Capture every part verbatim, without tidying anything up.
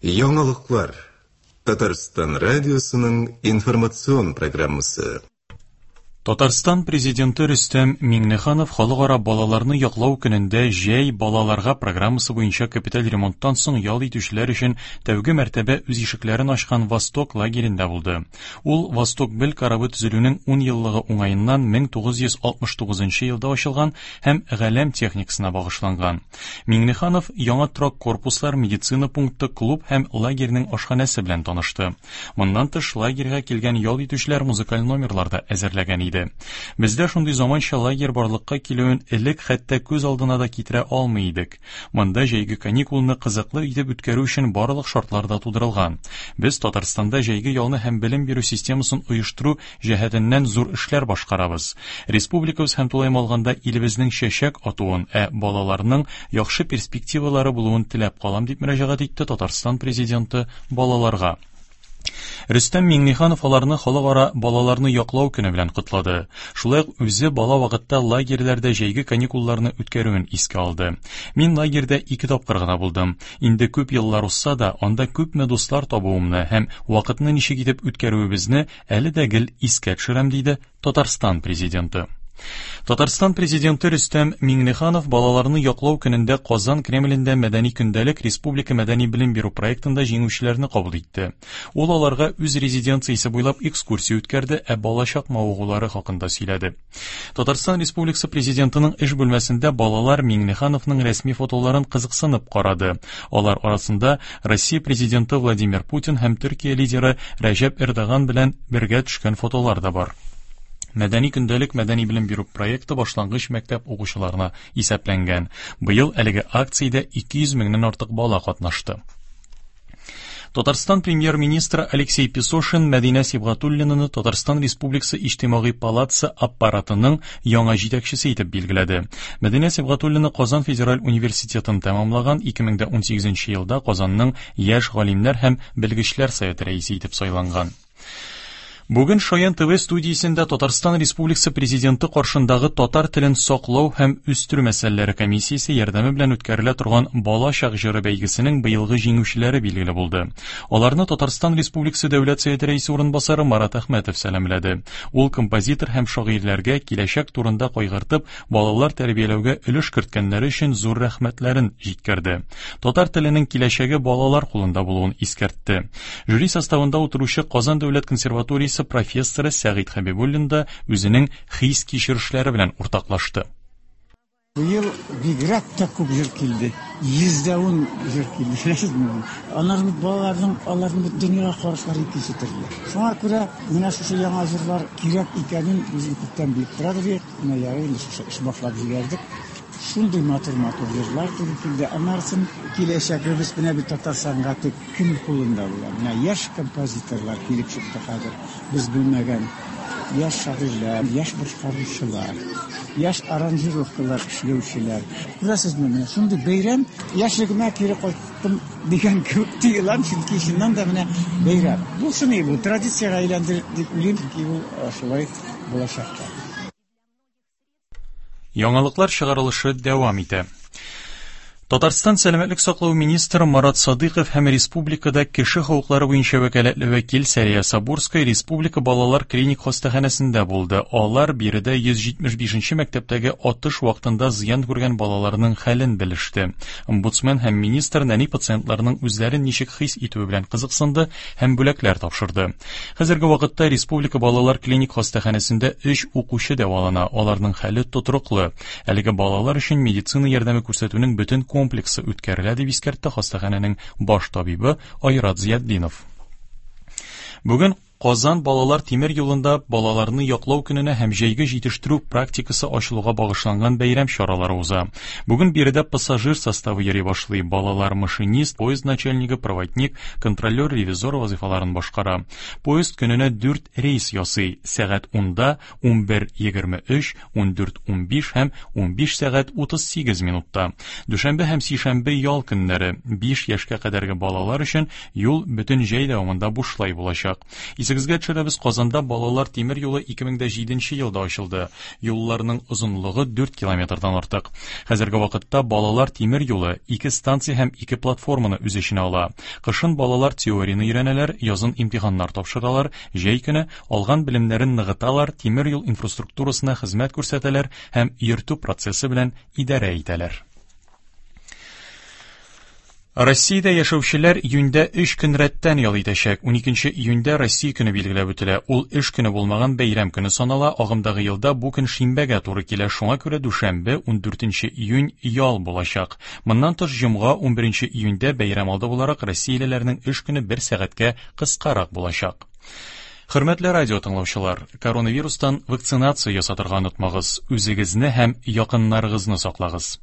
Яңалыклар. Татарстан радиосының информацион программасы. Татарстан президенты Рөстәм Миңнеханов Халыкара балаларны яклау көнендә Җәй балаларга программасы буенча капиталь ремонттан соң ял итүчеләр өчен тәүге мәртәбә үз ишекләрен ачкан Восток лагерендә булды. Ул Восток бел корабы төзелүнең ун еллыгы уңаеннан мең тугыз йөз алтмыш тугызынчы елда ачылган һәм галәм техникасына багышланган. Миңнеханов яңа торак корпуслар, медицина пункты, клуб һәм лагерьнең ашханәсе белән танышты. Моннан тыш лагерьга килгән ял итүчеләр музыкаль номерлар да әзерләгән иде. Бездә шундый заманча лагерь барлыкка килүен элек хәтта күз алдына да китерә алмый идек. Монда җәйге каникулны кызыклы итеп үткәрү өчен барлык шартлар да тудырылган. Без Татарстанда җәйге ялны һәм белем бирү системасын оештыру җәһәтеннән зур эшләр башкарабыз. Республикабыз һәм тулаем алганда илебезнең чәчәк атуын, ә балаларның яхшы перспективалары булуын теләп калам, дип мөрәҗәгать итте Татарстан президенты балаларга. Рөстәм Миңнеханов аларны Халыкара балаларны яклау көне белән котлады. Шулай ук үзе бала вакытта лагерьләрдә җәйге каникулларны үткәрүен искә алды. Мин лагерьдә ике тапкыр гына булдым. Инде күп еллар узса да, анда күпме дуслар табуымны һәм вакытны ничек итеп үткәрүебезне әле дә гел искә төшерәм, диде Татарстан президенты. Татарстан президенты Рөстәм Миңнеханов балаларны яклау көнендә Казан Кремлендә Мәдәни көндәлек республика мәдәни белем бирү проектында җиңүчеләрне кабул итте. Ул аларга үз резиденциясе буйлап экскурсия үткәрде, ә балачак мавыгулары хакында сөйләде. Татарстан Республикасы президентының эш бүлмәсендә балалар Миңнехановның рәсми фотоларын кызыксынып карады. Алар арасында Россия президенты Владимир Путин һәм Төркия лидеры Рәҗәп Эрдоган белән бергә төшкән фотолар да бар. Мәдәни көндәлек мәдәни белем бирү проекты башлангыч мәктәп укучыларына исәпләнгән. Быел әлеге акциядә ике йөз меңнән артык бала катнашты. Татарстан премьер-министры Алексей Песошин Мәдинә Сибгатуллинаны Татарстан Республикасы Иҗтимагый палатасы аппаратының яңа җитәкчесе итеп билгеләде. Мәдинә Сибгатуллина Казан федераль университетын тәмамлаган ике мең дә унсигезенче елда Казанның яшь галимнәр һәм белгечләр советы рәисе итеп сайланган. Бүген Шаян ТВ студиясендә Татарстан Республикасы Президенты каршындагы татар телен саклау һәм үстерү мәсьәләләре комиссиясе ярдәме белән үткәрелә торган Балачак җыры бәйгесенең быелгы җиңүчеләре билгеле булды. Аларны Татарстан Республикасы Дәүләт Советы рәисе урынбасары Марат Әхмәтов сәламләде. Ул композитор һәм шагыйрьләргә киләчәк турында кайгыртып, балалар тәрбияләүгә өлеш керткәннәре өчен зур рәхмәтләрен җиткерде. Татар теленең киләчәге балалар кулында булуын искәртте. Жюри составында утыручы Казан дәүләт консерваториясе профессоры Сәгыйть Хәбибуллин да үзенең хис-кичерешләре белән уртаклашты. Быел бигрәк тә күп җыр килде. Йөз дә ун җыр килде. Беләсезме? Аларның балаларның, аларның бит дөньяга карашлары икенче төрле. Шуңа күрә менә шушы яңа җырлар кирәк икәнен без күптән белеп торабыз идек. Менә ярый инде шушы эш башлап җибәрдек. Шундый матур-матур җырлар туры килде. Аннан киләчәгебез менә бит татар сәнгате кем кулында була? Менә яшь композиторлар килеп чыкты хәзер. Без белмәгән яшь шагыйрьләр, яшь башкаручылар, яшь аранжировкалар эшләүчеләр. Күрәсезме, менә шундый бәйрәм, яшьлегемә кире кайттым дигән кебек тоелам, чөнки чыннан да менә бәйрәм. Булсын инде бу, традициягә әйләнде дип уйлыйм, чөнки ул шулай булачак та. Яңалыклар чыгарылышы дәвам итә. Татарстан сәламәтлек саклау министры Марат Садыйков һәм республикада кеше хокуклары буенча вәкаләтле вәкил Сәрия Сабурская республика балалар клиник хастаханәсендә булды. Алар биредә йөз җитмеш бишенче мәктәптәге атыш вакытында зыян күргән балаларның хәлен белеште. Омбудсмен һәм министр нәни пациентларның үзләрен ничек хис итүе белән кызыксынды һәм бүләкләр тапшырды. Хәзерге вакытта республика балалар клиник хастаханәсендә өч укучы дәвалана. Аларның хәле тотрыклы. Әлеге балалар өчен медицина ярдәме күрсәтүнең бөтен комплексы үткәрелә, дип искәртте хастаханәнең баш табибы Айрат Зиятдинов. Бүген Казан балалар тимер юлында балаларны яклау көненә һәм җәйге җитештерү практикасы ачылуга багышланган бәйрәм чаралары уза. Бүген биредә пассажир составы йөри башлый. Балалар машинист, поезд начальнигы, проводник, контролер, ревизор вазифаларын башкара. Поезд көненә дүрт рейс ясый. Сәгать унда, унбер егерме өч, ундүрт унбиш һәм унбиш сәгать утыз сигез минутта. Дүшәмбе һәм сишәмбе ял көннәре. Биш яшькә кадәрге балалар өчен юл бөтен җәй дәвамында бушлай булачак. Исегезгә төшерәбез, Казанда балалар тимер юлы ике мең дә җиденче елда ачылды. Юлларның озынлыгы дүрт километрдан артык. Хәзерге вакытта балалар тимер юлы ике станция һәм ике платформаны үз эченә ала. Кышын балалар теорияне өйрәнәләр, язын имтиханнар тапшыралар, җәй көне алган белемнәрен ныгыталар, тимер юл инфраструктурасына хезмәт күрсәтәләр һәм йөртү процессы белән идарә итәләр. Россиядә яшәүчеләр июньдә өч көн рәттән ял итәчәк. Уникенче июньдә Россия көне билгеләп үтелә. Ул эш көне булмаган бәйрәм көне санала. Агымдагы елда бу көн шимбәгә туры килә. Шуңа күрә дүшәмбе, ундүртенче июнь ял булачак. Моннан тыш җомга, унберенче июньдә бәйрәм алды буларак россиялеләрнең эш көне бер сәгатькә кыскарак булачак. Хөрмәтле радио тыңлаучылар, коронавирустан вакцинация ясатырга онытмагыз. Үзегезне һәм якыннарыгызны саклагыз.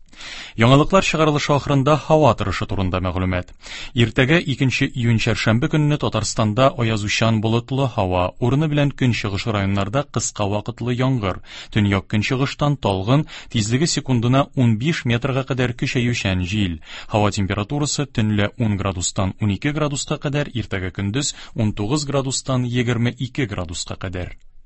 Яңалыклар чыгарылышы ахырында һава торышы турында мәгълүмат. Иртәгә икенче июнь чәршәмбе көнне Татарстанда аязучан болытлы һава, урыны белән көнчыгыш районнарда кыска вакытлы яңгыр, төньяк көнчыгыштан талгын, тизлеге секундына унбиш метрга кадәр көчәючән җил. Һава температурасы төнлә ун градустан унике градуска кадәр, иртәгә көндез унтугыз градустан егерме ике градуска кадәр.